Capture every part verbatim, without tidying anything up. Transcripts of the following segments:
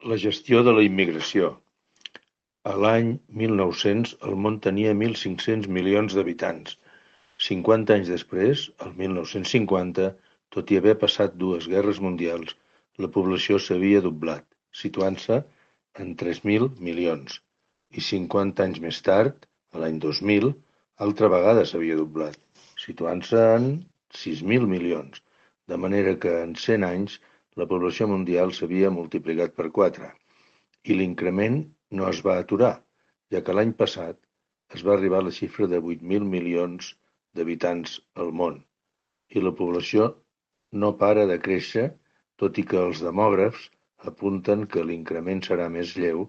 La gestió de la immigració. A l'any mil nou-cents el món tenia mil cinc-cents milions d'habitants. Cinquanta anys després, el mil nou-cents cinquanta, tot i haver passat dues guerres mundials, la població s'havia doblat, situant-se en tres mil milions. I cinquanta anys més tard, a l'any dos mil, altra vegada s'havia doblat, situant-se en sis mil milions, de manera que en cent anys la població mundial s'havia multiplicat per quatre. I l'increment no es va aturar, ja que l'any passat es va arribar a la xifra de vuit mil milions d'habitants al món, i la població no para de créixer, tot i que els demògrafs apunten que l'increment serà més lleu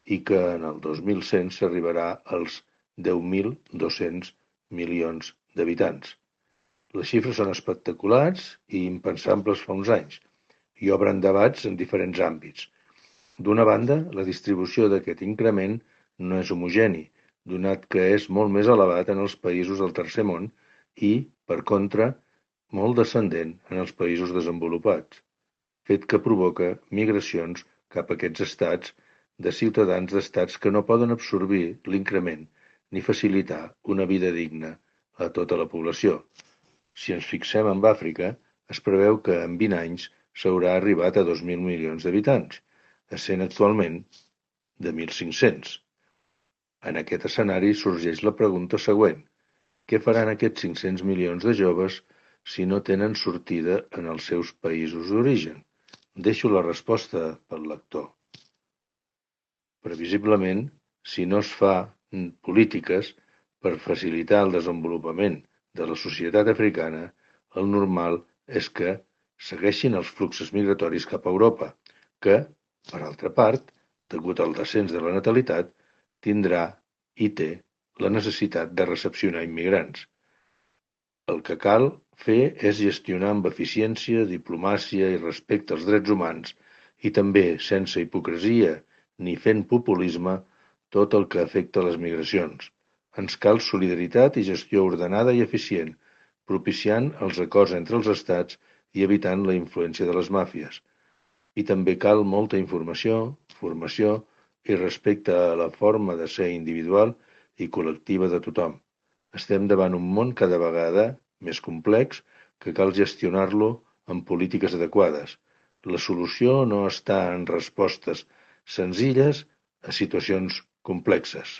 i que en el dos mil cent s'arribarà als deu mil dos-cents milions d'habitants. Les xifres són espectaculars i impensables fa uns anys, i obren debats en diferents àmbits. D'una banda, la distribució d'aquest increment no és homogeni, donat que és molt més elevat en els països del tercer món i, per contra, molt descendent en els països desenvolupats, fet que provoca migracions cap a aquests estats de ciutadans d'estats que no poden absorbir l'increment ni facilitar una vida digna a tota la població. Si ens fixem en Àfrica, es preveu que en vint anys s'haurà arribat a dos mil milions d'habitants, essent actualment de mil cinc-cents. En aquest escenari sorgeix la pregunta següent: què faran aquests cinc-cents milions de joves si no tenen sortida en els seus països d'origen? Deixo la resposta pel lector. Previsiblement, si no es fa polítiques per facilitar el desenvolupament de la societat africana, el normal és que segueixin els fluxos migratoris cap a Europa, que, per altra part, degut al descens de la natalitat, tindrà i té la necessitat de recepcionar immigrants. El que cal fer és gestionar amb eficiència, diplomàcia i respecte als drets humans i també, sense hipocresia ni fent populisme, tot el que afecta les migracions. Ens cal solidaritat i gestió ordenada i eficient, propiciant els acords entre els estats i evitant la influència de les màfies. I també cal molta informació, formació i respecte a la forma de ser individual i col·lectiva de tothom. Estem davant un món cada vegada més complex que cal gestionar-lo amb polítiques adequades. La solució no està en respostes senzilles a situacions complexes.